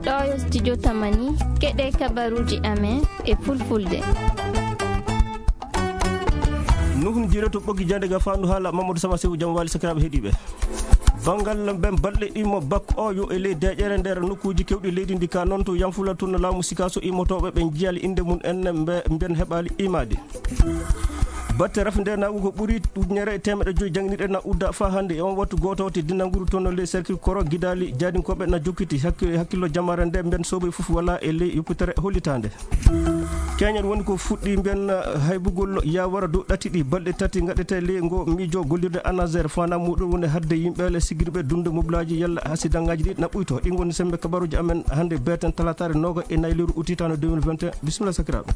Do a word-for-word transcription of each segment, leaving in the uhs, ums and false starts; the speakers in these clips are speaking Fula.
Ɗo yo studio Tamani, keɗe kabaruuji amen e fulfulde. Nuhun jiireto ɓoggi jande ga fandu haala Mamadou Sama Sewu, jam wali sakiraaɓe heɗiiɓe. Banngal ɓen balɗe ɗimmo bak o yo e ley deƴƴere nder nokkuuji kewɗi leydi ndi, ka noon to Yanfula toon laamu Sikaso immotooɓe ɓe njiyaali innde mum en mbe-, mben heɓaali imaade. Batte rafi ndeenaagu ko ɓuri ujunere e teemeɗɗe joyi jannginirɗe na udda faa hannde e on wattu gooto teddinanguru toon ley cercle koro gidaali jaadinkooɓe na jokkiti hakki-, hakkillo jamaare nde mben soobay fof wala e ley yoppitere hollitaande. Keñen woni ko fuɗɗi mben haybugol yawara dow ɗati ɗi balɗe tati ngaɗete ley ngo miijo gollirde ANASER fana muɗum woni hadde yimɓe le sigirɓe dunde mobilaaji yalla hasidangaaji ɗi na ɓuyto. Ɗi ngoni sembe kabaruji amen hannde beten talataare nooga e nayi lewru utitano deux mille vingt et un. Bisimilla sakiraaɓe.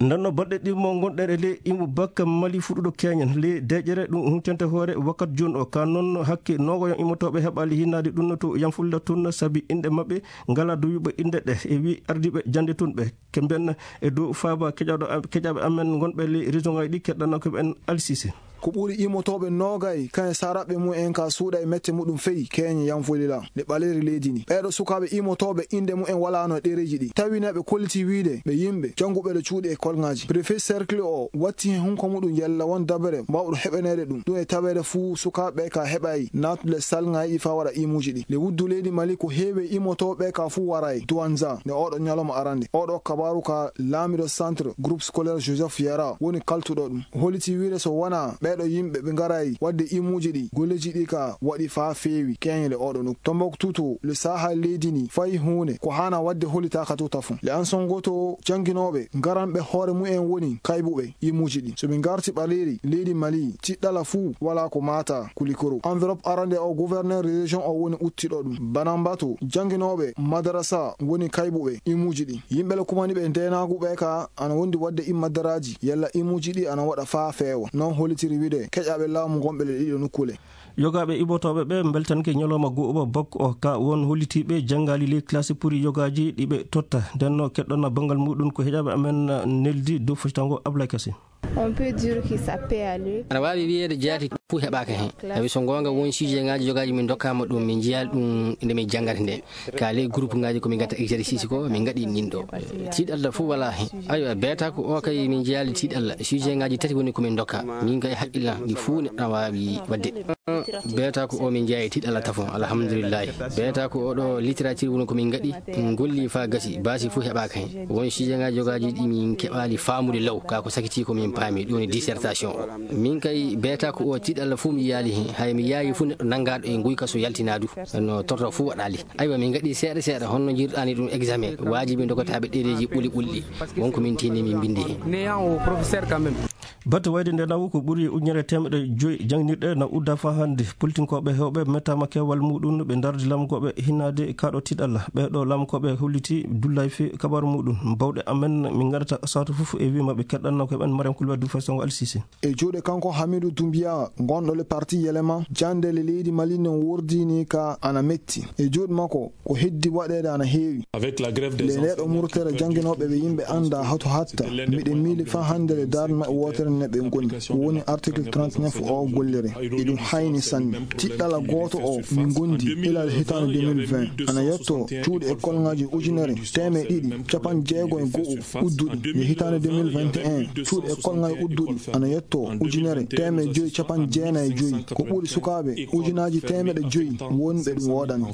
Ndenno balɗe ɗimmo gonɗen e ley imo bakka Mali fuɗɗuɗo keñen ley deƴƴere ɗum huntente hoore wakkat jooni o. Ka noon hakke noogoyon immotooɓe heɓaali hinnaade ɗum no to Yanfulla tun sabi inɗe maɓɓe ngala duyuɓe inɗe ɗe e wi ardiiɓe jannde tun ɓe. Ke mbiyen e dow faaba keƴaɗo am-, keƴaɓe amen gonɓe ley région ngaji ɗi keɗɗanno ko ɓen Alsise. Ko ɓuri immotooɓe noogay, kañum saraɓɓe mum en ka suuɗa e mette muɗum feyi keñe Yanfolila nde ɓaleeri leydi ndi. Ɓeeɗo sukaaɓe immotooɓe innde mum en walaano e ɗereeji ɗi. Tawi ne ɓe kolliti wiide ɓe yimɓe jannguɓe ɗo cuuɗi e kolŋaaji. Préfet cercle o watti hen hunko muɗum yalla won dabere mbawɗo heɓaneede ɗum. Ɗum e taweede fuu sukaaɓe ka heɓay naatude salŋaaji ɗi faa waɗa imuuji ɗi. Le wuddu leydi Mali ko heewi immotooɓe ka fuu waray Douanza nde oɗo ñalawma arande. Oɗo kabaaru ka laamiɗo centre groupe scolaire Joseph Yara woni kaltuɗo ɗum. Holliti wiide so wonaa ɓeeɗo yimɓe ɓe ngaray waɗde imuuji ɗi, golleeji ɗi ka waɗi faa feewi keñe le oɗo nokku. Tombouctou to le Sahel leydi ndi fayi huunde ko haana waɗde hollitaaka to tafon. Le Ansongo to jannginooɓe ngaranɓe hoore mum en woni kaybuɓe imuuji ɗi. So ɓe ngarti ɓaleeri leydi Mali, tiɗɗala fuu wala ko maata kulikoro. Enveloppe arande o gouverneur région o woni uttiɗo ɗum. Banamba to jannginooɓe madarasa woni kaybuɓe imuuji ɗi. Yimɓe le kumani ɓe ndeenaagu ɓe ka ana wondi waɗde immadaraaji yalla imuuji ɗi ana waɗa faa feewa. Noon hollitiri wiide keƴaɓe laamu gonɓe le ɗiɗo nokkule. Yogaaɓe immotooɓe ɓe mbeltanke ñalawma goo bak o ka won hollitiiɓe janngaali ley classe puri yogaaji ɗi ɓe totta. Ndenno keɗɗonna banngal muɗum ko heƴaɓe amen neldi dow fositango Ablaye Kasim. On peut dire que ça peut aller. Aɗa waawi wiyeede jaati fof heɓaaka heen. Tawi so ngoonga won sujet ŋaaji yogaaji min ndokkaama ɗum, min njiyaali ɗum nde min janngata nde. Ka ley groupe ŋaaji ko min ngatta exercice ko, min ngaɗi nin ɗo. Tiiɗalla fof wala heen. Aywa, beeta ko o kay min njiyaali tiiɗalla. Sujet ŋaaji tati woni ko min ndokka. Min kay haqqilla ɗi fof neɗɗo na waawi waɗde. Beeta ko o min njiyaali tiiɗalla tafon. Alhamdulillahi. Beeta ko oɗo littérature woni ko min ngaɗi. Min ngolli faa gasi. Baasi fof heɓaaka heen. Won sujet ŋaaji yogaaji ɗi min keɓaali faamude law. Ka ko sakiti ko min paami. Ɗum woni dissertation o. Min kay beeta ko o tiiɗalla fof mi yiyaali heen. Hay mi yaayi fof neɗɗo nanngaaɗo e nguyka so yaltinaa du. No torto fof waɗaali. Aywa, min ngaɗi seeɗa seeɗa, honno njirɗaani ɗum examen? Waajibi ndokotaaɓe ɗereeji ɓuli ɓulɗi. Won ko min tiini min mbinndi heen. Néant au professeur quand même. Batte wayde nde nawo ko ɓuri ujunere teemeɗɗe joyi jannginirɗe na udda faa hannde. Politinkooɓe heewɓe mettaama keewal muɗum, ɓe ndardi lamkooɓe hinnaade kaaɗo tiiɗalla. Ɓee ɗo lamkooɓe holliti dullay fii kabaaru muɗum. Bawɗe amen min ngaɗata saatu fof e wii maɓɓe keɗɗanno ko ɓen Mariam Koulibaly du Faysongo Alsisi. E juuɗe kanko Hamidou Doumbia, gonɗo le parti Yelema, jannde le leydi Mali nen wordini ka ana metti. E juuɗe makko, ko heddi waɗeede ana heewi. Avec la grève des enseignants, le neɗɗo murtere jannginooɓe ɓe yimɓe annda hato hatta. Miɗen miili faa hannde le darnde maɓɓe wootere ne ɓe ngoni. Ko woni article trente-neuf o gollere. Eɗum hayni sanne. Tiɗɗala gooto o min ngondi ilal hitaande deux mille vingt. Ana yetto cuuɗi e kolŋaaji ujunere teemeɗe ɗiɗi capanɗe jeego e go'o udduɗi. Nde hitaande deux mille vingt et un, cuuɗi e kolŋaaji udduɗi ana yetto ujunere teemeɗe joyi capanɗe jeenayi e joyi. Ko ɓuri sukaaɓe ujunaaji teemeɗe joyi wonɓe ɗum woodani.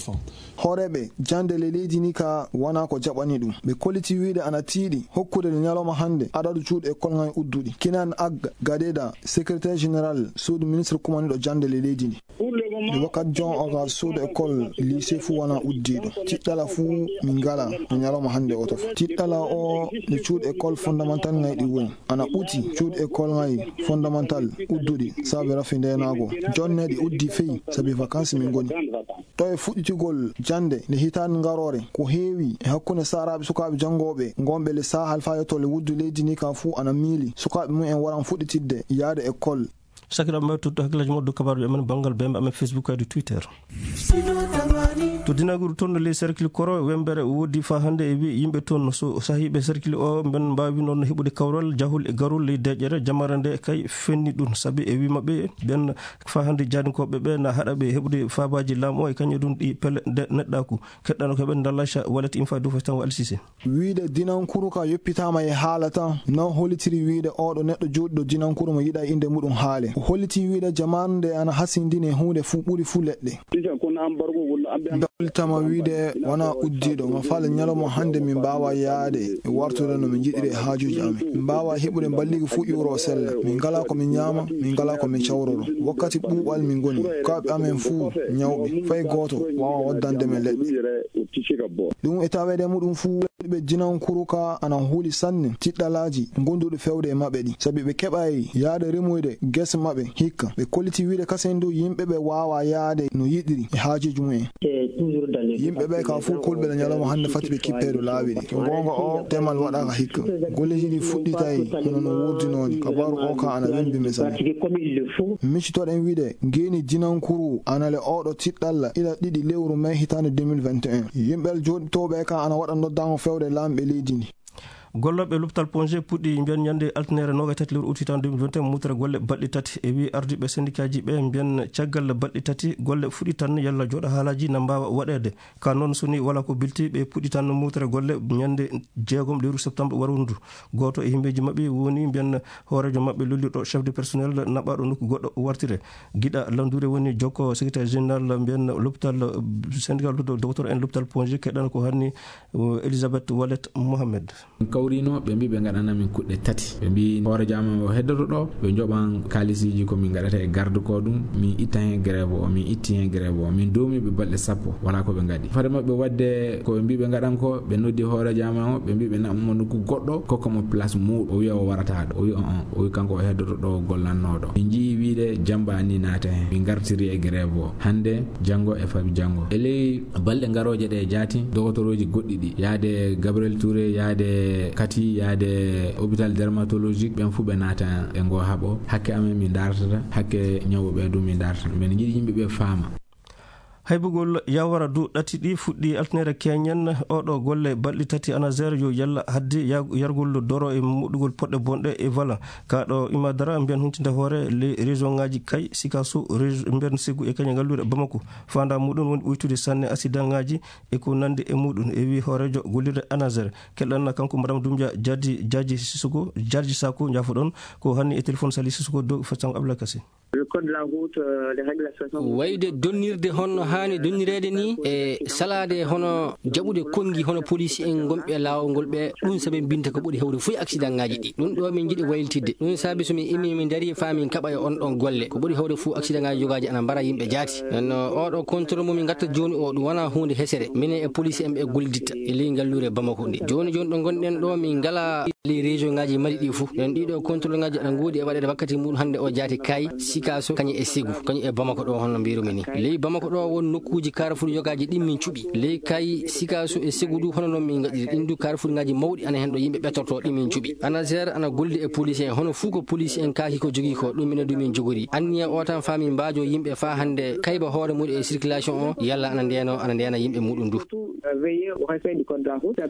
Hooreeɓe jannde le leydi ni ka wonaa ko jaɓani ɗum. Ɓe kolliti wiide ana tiiɗi hokkude le ñalawma hannde adadu cuuɗi e kolŋaaji udduɗi. Kinan Ag Gadeda, secrétaire général suudu ministre kumaniɗo jannde le leydi ndi. Nde wakkati jon o ka suudu école lycée fuu wonaa uddiiɗo. Tiɗɗala fuu min ngalaa e ñalawma hannde o to. Tiɗɗala o nde cuuɗi école fondamental ŋayɗi woni. Ana ɓuti cuuɗi école ŋay fondamental udduɗi sabi rafi ndeenaago. Jonne ɗi uddi feyi sabi vacances min ngoni. To e fuɗɗitigol jannde nde hitaande ngaroore, ko heewi e hakkunde saaraaɓe sukaaɓe janngooɓe ngonɓe le Sahel faa yetto le wuddu leydi ni kan fuu ana miili sukaaɓe mum en waran fuɗɗitidde yaade école. Sakiraaɓe, mbaɗ tutto hakkillaaji moɗon dow kabaaruuji amen banngal bembe amen Facebook kadi Twitter. Dinaguru toon no ley cercle Koro Wembere woodi faa hannde e wi yimɓe toon so sahiiɓe cercle o mben mbaawi noon heɓude kawral jahol e garol ley deeƴere jamare nde kay fenni ɗum sabi e wi maɓɓe ɓen faa hannde jaadinkooɓe ɓe na haɗa ɓe heɓude faabaaji laamu o e kañum ɗum ɗi pele nde neɗɗaaku. Keɗɗano ko ɓen Dalacha Wallet Infa Dufetan Wa Alsise. Wiide dinankuru ka yoppitaama e haala tan, non hollitiri wiide ooɗo neɗɗo jooɗiɗo dinankuru mo yiɗa innde muɗum haale. O hollitii wiide jamaanu nde ana hasindini e huunde fuu ɓuri fuu leɗɗe. Ɓe hollitama wiide wona uddiiɗo, ma faale ñalawma hannde min mbaawa yaade e wartude no min njiɗiri e haajuuji amen. Min mbaawa heɓude mballigu fuu iwro sella. Min ngalaa ko min ñaama, min ngalaa ko min cawroro. Wakkati ɓuuɓal min ngoni. Kaaɓe amen fuu ñawɓe. Fay gooto waawa waddande men leɗɗe. Ɗum e taweede muɗum fuu, ɓe dinankuru ka ana huuli sanne tiɗɗalaaji gonduɗi fewde e maɓɓe ɗi. Sabi ɓe keɓay yaade remoyde gese maɓɓe hikka. Ɓe kolliti wiide kasen du yimɓe ɓe waawa yaade no yiɗiri e haajuuji mumen. Yimɓe ɓe ka fuu kolɓe le ñalawma hannde fati ɓe kippeeɗo laawi ɗi. Ko goonga o temal waɗaaka hikka. Golleji ɗi fuɗɗitay hono no woordinooni. Kabaaru o ka ana wembi mi sanne. Miccitoɗen wiide ngeeni dinankuru ana le oɗo tiɗɗalla ila ɗiɗi lewru mai hitaande deux mille vingt et un. Yimɓe jooɗitooɓe ka ana waɗa noddaango fewde laamɓe leydi ndi. Gollooɓe loptal Ponge puɗɗi mbiyan ñande altine noogaye tati lewru août hitaande deux mille vingt et un mutere golle balɗe tati. E wi ardiiɓe sendikaaji ɓe mbiyan caggal balɗe tati golle fuɗɗi tan yalla jooɗa haalaaji na mbaawa waɗeede. Ka noon so ni wala ko bilti ɓe puɗɗi tan mutere golle ñande jeegom lewru septembre waru ndu. Gooto e himbeeji maɓɓe woni mbiyan hooreejo maɓɓe lollirɗo chef de personnel naɓaaɗo nokku goɗɗo wartire. Giɗa Landure woni jokko secrétaire général mbiyan loptal, syndicat docteur en loptal Ponge keɗɗan ko hanni, Elisabeth Wallet Mohamed. Kawrino ɓe mbi ɓe ngaɗana min kuɗɗe tati. Ɓe mbi hoore jaama o heddoto ɗo, ɓe njoɓan kaalisiiji ko min ngaɗata e garde ko ɗum, min itta hen grève o, min itti hen grève o, min doomi ɓe balɗe sappo, wala ko ɓe ngaɗi. Fade maɓɓe wadde ko ɓe mbi ɓe ngaɗan ko, ɓe noddi hoore jaama o, ɓe mbi ɓe naɓma nokku goɗɗo, kokka mo place muuɗo. O wiya o warata ɗo. O wi on, on. O wi kanko o heddoto ɗo gollanno ɗo. Min njii wiide jamba ni naata hen. Min ngartiri e grève o. Hande, jango e fabi jango. E ley balɗe ngarooje ɗe jaati, dogotorooji goɗɗi ɗi. Yaade Gabriel Touré, yaade Kati, yaade hôpital dermatologique, ɓen fuu ɓe naata e ngo haɓo. Hakke amen min dartata, hakke ñawɓe ɓe du min dartata. Men njiɗi yimɓe ɓe faama. Haybugol yawara du ɗati ɗi fuɗɗi altine keñen oɗo golle balɗi tati ANASER yo yalla haddi ya-, yargol doro e moɗɗugol poɗɗe bonɗe e vala. Ka ɗo Imadara mbiyan huntinde hoore le région ngaji kay sikaso région mbiyan segu e kañe ngalluure Bamako. Fanda muɗum woni ɓuytude sanne accident ngaji e ko nandi e muɗum e wi hoorejo gollirde ANASER. Keɗɗan kanko Madame Doumbia Jadi, Jaji Sissoko, Jarji Sako, njafoɗon ko hanni e téléphone Sali Sissoko dow Fassam Abdoulaye Kassé. Le code de la route, euh, les réglementations. Wayde donnirde honno haani donnireede ni e salaade hono jaɓude konngi hono police en gonɓe laawol ngol ɓe, ɗum sabi mbinta ko ɓuri hewde fof accident ngaji ɗi. Ɗum ɗo min njiɗi waylitidde. Ɗum saabi so min imi min dari faa min kaɓa e on ɗon golle. Ko ɓuri hewde fof accident ngaji jogaaji ana mbara yimɓe jaati. Nden no oɗo contrôle mo min ngatta jooni o ɗum wona huunde hesere. Minen e police en ɓe golliditta e ley ngalluure Bamako ndi. Jooni jooni ɗo ngonɗen ɗo min ngala les régions ngaji Mali ɗi fof. Nden ɗiɗo contrôle ngaji aɗa ngoodi e waɗeede wakkati muɗum hannde o jaati kay Sikaso kañum e Segu, kañum e Bamako ɗo honno mbirumi ni. Ley Bamako ɗo won nokkuuji carrefour yogaaji ɗin min cuɓi. Ley kay Sikaso e Segu du hono non min ngaɗiri. Ɗin du carrefour ngaji mawɗi ana hen ɗo yimɓe ɓettorto ɗi min cuɓi. ANASER ana golli e police en hono fuu ko police en kaaki ko jogii ko ɗum minen du min jogori. Anniya o tan faa min mbaajo yimɓe faa hannde kayba hoore muɗum e circulation o yalla ana ndeno ana ndena yimɓe muɗum du. Surtout, euh, veiller au respect du code de la route.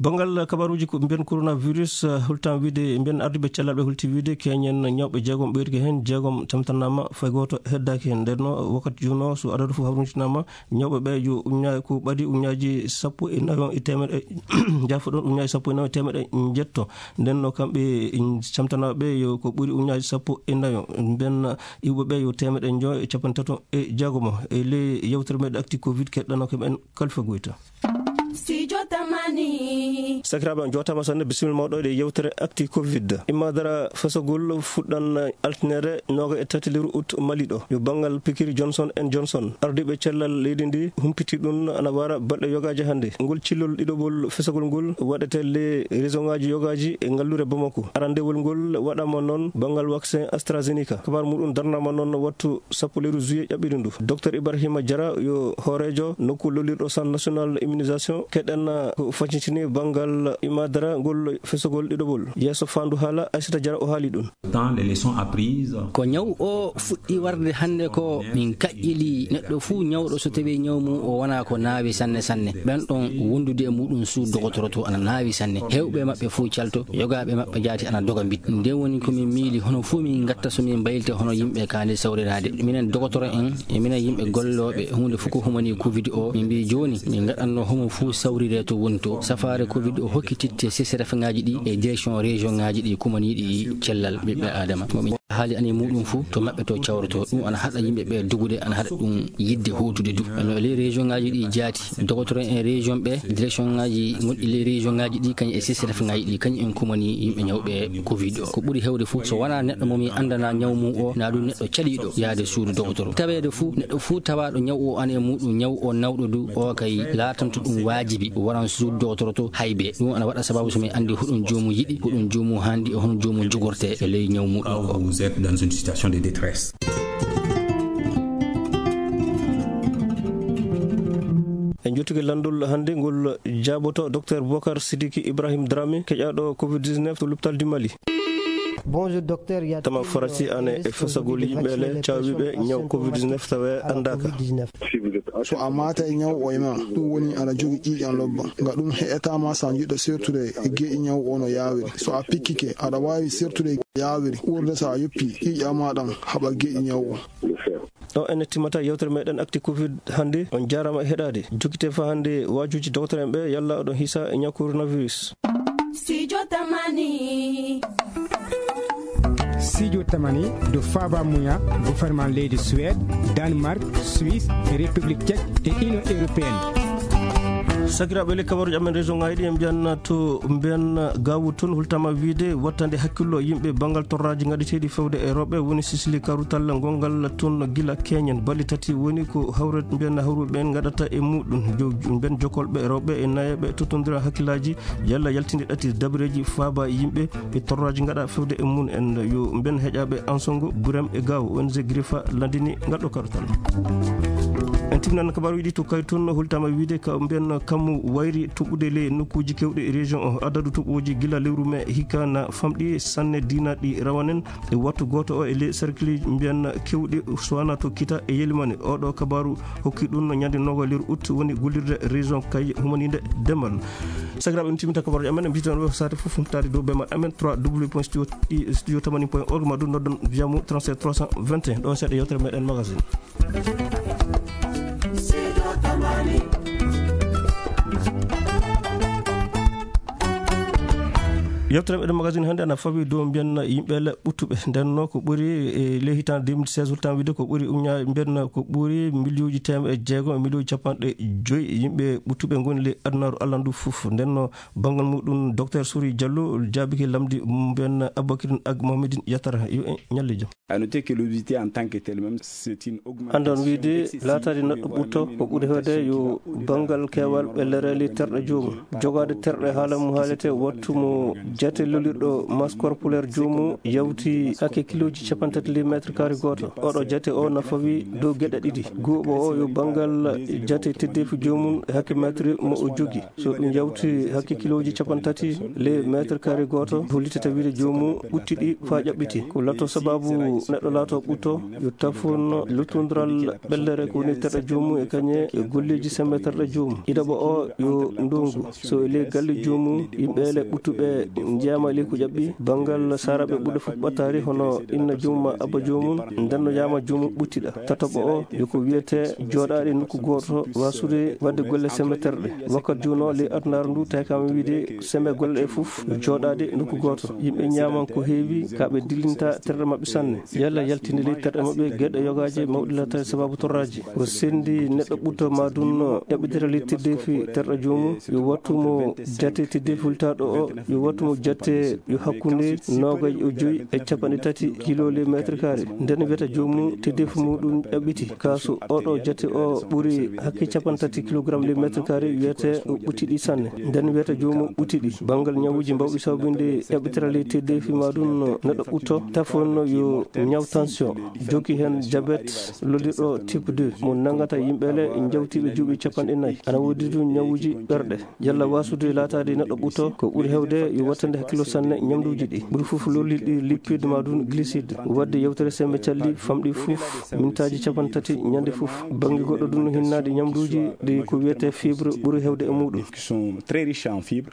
Banngal kabaruuji ko mbiyen coronavirus, eh, hultan wiide, mbiyen arduɓe cellal ɓe hulti wiide keñen ñawɓe jeegom ɓeydike heen, jeegom tamtanaama, fay gooto heddaaki heen. Nden no wakkati juuno so adadu fof hawrintinaama, ñawɓe ɓe yo uñña-, ko ɓadi uññaaji sappo e nayo e teemeɗe, jaafoɗon, uññaaji sappo e nayo e teemeɗe njetto. Nden no kamɓe camtanaaɓe ɓe yo ko ɓuri uññaaji sappo e nayo. Mbiyen iwɓe ɓe yo teemeɗe njoyo e capanɗe tato e jeegomo. E ley yewtere meɗen Actu Covid keɗɗano ko men Kalfa Goyta. Studio Tamani. Sakiraaɓe, on jootaama sanne, bisimilla mawɗo e yewtere Actu Covid. Imma dara fasagol fuɗɗan altinere nooga e tati lewru août Mali ɗo. Yo banngal pikiri Johnson and Johnson. Ardiiɓe cellal leydi ndi humpiti ɗum ana wara balɗe yogaaji hannde. Ngol cillol ɗiɗoɓol fasagol ngol waɗete le région ngaji yogaaji e ngalluure Bamako. Arandewol ngol waɗama noon banngal vaccin AstraZeneca. Kabaar muɗum darnama noon wattu sappo lewru juillet ƴaɓɓiri ndu. Docteur Ibrahima Diarra yo hooreejo nokku lollirɗo Centre National Immunisation keɗen ko facintini banngal imadara ngol fesogol ɗiɗoɓol. Yeeso faandu haala, Aysata Jara o haali ɗum. Dans les leçons apprises. Ko ñaw o fuɗɗi warde hannde ko min kaƴƴili neɗɗo fuu ñawɗo so tawii ñaw mum o wonaa ko naawi sanne sanne. Ɓen ɗon wondude e muɗum suudu dogotoro to ana naawi sanne. Heewɓe maɓɓe fuu calto, yogaaɓe maɓɓe jaati ana doga mbit. Nden woni ko min miili hono fuu min ngatta so min mbaylita hono yimɓe kaani sawriraade. Minen dogotoro en e minen yimɓe gollooɓe huunde fof ko humani covid o, min mbii jooni min ngaɗanno homo fuu sawrire to woni to. Safaare covid o hokkititte sesirafeŋaaji ɗi e direction région ŋaaji ɗi kumaniiɗi cellal ɓiɓɓe Aadama. Mo min haali ani muɗum fuu to maɓɓe to cawroto. Ɗum ana haɗa yimɓe ɓe dogude, ana haɗa ɗum yidde hootude du. No e ley région ŋaaji ɗi jaati, dogotoro en région ɓe, direction ŋaaji gonɗi ley région ŋaaji ɗi, kañum e sesirafeŋaaji ɗi, kañum en kumani yimɓe ñawɓe covid o. Ko ɓuri heewde fuu, so wonaa neɗɗo mo min anndana ñaw mum o, naa ɗum neɗɗo caɗiiɗo yaade suudu dogotoro. Taweede fuu, neɗɗo fuu tawaaɗo ñaw o ana e muɗum, ñaw o nawɗo du, o kay laatanto ɗum waajibi, waran suudu dogotoro to haybe. Ɗum ana waɗa sababu so min anndi hoɗum joomum yiɗi, hoɗum joomum haandi, e hono joomum jogortee e ley ñaw muɗum o. Vous êtes dans une situation de détresse. En jottike lanndol hannde ngol jaaboto Docteur Boubacar Sidiki Ibrahim Dramé, keƴaaɗo covid dix-neuf to l'hôpital du Mali. Bonjour, docteur. Tama farasi ane e fesagol yimɓe le caawiɓe ñaw covid dix-neuf tawe anndaka. So a maata e ñaw o e ma, ɗum woni aɗa jogi ƴiiƴan lobba. Nga ɗum heƴata ma so a jiɗɗo sertude e geeƴi ñaw o no yaawiri. So a pikkike, aɗa waawi sertude e yaawiri. Ɓurde so a yoppi ƴiiƴan ma ɗan haɓa geeƴi ñaw o. Ɗo ene timmata yewtere meɗen Actu Covid hannde. On jaaraama e heɗaade. Jokkite fa hannde waajuuji dogotoro en ɓe, yalla oɗon hisa e ñaw coronavirus. Studio Tamani. Studio Tamani do Faba Muya, gouvernement leydi Suède, Danemark, Suisse, République Tchèque et Union Européenne. Sakiraaɓe, le kabaruuji amen région ŋaaji ɗi, en mbiyan to mbiyan Gaawu tun, hultama wiide wattande hakkillo yimɓe banngal torraaji ngaɗeteeɗi fewde e rewɓe woni sisili karutal ngongal tun gila keñen. Balɗe tati woni ko hawre mbiyan hawruɓe ɓen ngaɗata e muɗum. Jo-, mbiyan jokolɓe rewɓe e nayeɓe tottondira hakkillaaji yalla yaltinde ɗati dabareeji faaba yimɓe e torraaji ngaɗa fewde e mum en. Yo mbiyan heƴaaɓe Ansongo, Burem e Gaawo, O N G Grifa landini ngaɗɗo karutal. En timnan kabaruuji ɗi to Kaytun, hultama wiide ka mbiyan kammu wayri toɓɓude ley nokkuuji kewɗi e région o. Adadu toɓɓooji gila lewru me hikka na famɗi sanne diina ɗi rawanen e wattu gooto o e ley cercle mbiyan kewɗi, so wanaa to Kita e Yelimani. Oɗo kabaru hokki ɗum no ñande noga lewru août woni gollirde région kay humaninde demal. Sakiraaɓe, en timmita kabaruuji amen, en mbiyata on saate fof humtaade dow bema amen trois W point studio, studio tamani point org, ma ɗum noddon via mo trente-sept trois cent vingt et un. Ɗon seeɗa yewtere meɗen magazine. Yewtere meɗen magazine hannde ana fawi dow mbiyan yimɓe le ɓuttuɓe. Nden no ko ɓuri e ley hitande deux mille seize, hultan wiide ko ɓuri uña-, mbiyan ko ɓuri miliyuuji teemedde jeego e miliyuuji capanɗe joyi yimɓe ɓuttuɓe ngoni ley adunaaru Alla ndu fof. Nden no banngal muɗum, Docteur Souri Diallo jaabike lamndi mbiyan Aboubacrine ak Mohamedine Yatara. Yo en ñalle jam. À noter que l'obésité en tant que telle même, c'est une augmentation. Anndon wiide excessive laataade neɗɗo ɓutto ko ɓuri heewde yo banngal keewal ɓellere ley terɗe joomum. Jogaade terɗe haala mo haalete wattu mo jate lolirɗo masse corporelle joomum yawti hakke kilooji capanɗe tati ley mètre carré gooto. Oɗo jate o na fawi dow geɗe ɗiɗi. Guuɓo o yo banngal jate teddeefi joomum e hakke mètre mo o jogi. So ɗum yawti hakke kilooji capanɗe tati ley mètre carré gooto, hollitata wiide joomum ɓutti ɗi faa ƴaɓɓiti. Ko lato sababu neɗɗo laato ɓutto, yo tafon luttondiral ɓellere ko woni terɗe joomum e kañe e golleeji semmbe terɗe joomum. Ɗiɗaɓo o yo ndongu. So e ley galle joomum, yimɓe le ɓuttuɓe njeyaama e ley ko ƴaɓɓi, banngal saaraaɓe ɓurɓe fof ɓattaari hono inna joomum ma abba joomum, ndenno yaama joomum ɓuttiɗa. Tataɓo o yo ko wiyetee jooɗaaɗe nokku gooto, waasude waɗde golle semmbe terɗe. Wakkati jooni o, ley adunaaru ndu, tawkaama wiide semmbe golle ɗe fof jooɗaade nokku gooto. Yimɓe ñaaman ko heewi, ka ɓe dillinta terɗe maɓɓe sanne. Yalla yaltinde ley terɗe maɓɓe geɗe yogaaje mawɗe laataade sababu torraaji. Ko senndi neɗɗo ɓutto ma ɗum no ƴaɓɓitira ley teddeefi terɗe joomum, yo wattu mo jate teddeefi hultaaɗo o, yo wattu mo Jate yo hakkunde noogay e joyi e capanɗe tati kilo le mètre carré. Nden wiyata joomum teddeefu muɗum ƴaɓɓiti. Kaasu oɗo jate o ɓuri hakke capanɗe tati kilogramme le mètre carré, wiyata o ɓuttiɗi sanne. Nden wiyata joomum ɓuttiɗi. Banngal ñawuuji mbawɗi sababinde ƴaɓɓitira le teddeefi ma ɗum no neɗɗo ɓutto, tafon no yo ñaw tension. Jokki heen diabète lollirɗo type deux, mo nanngata yimɓe le njawtiiɓe duuɓi capanɗe nayi. Ana woodi ɗum ñawuuji ɓerɗe. Yalla waasude laataade neɗɗo ɓutto, ko ɓuri heewde yo wattande hakkillo sanne ñamduuji ɗi. Ɓuri fof lollirɗi lipide ma ɗum glucide. Waɗde yewtere semmbe calli famɗi fof mintaaji capanɗe tati ñande fof. Bannge goɗɗo ɗum no hinnaade ñamduuji ɗi ko wiyetee fibre ɓuri heewde e muɗum. Qui sont très riches en fibres.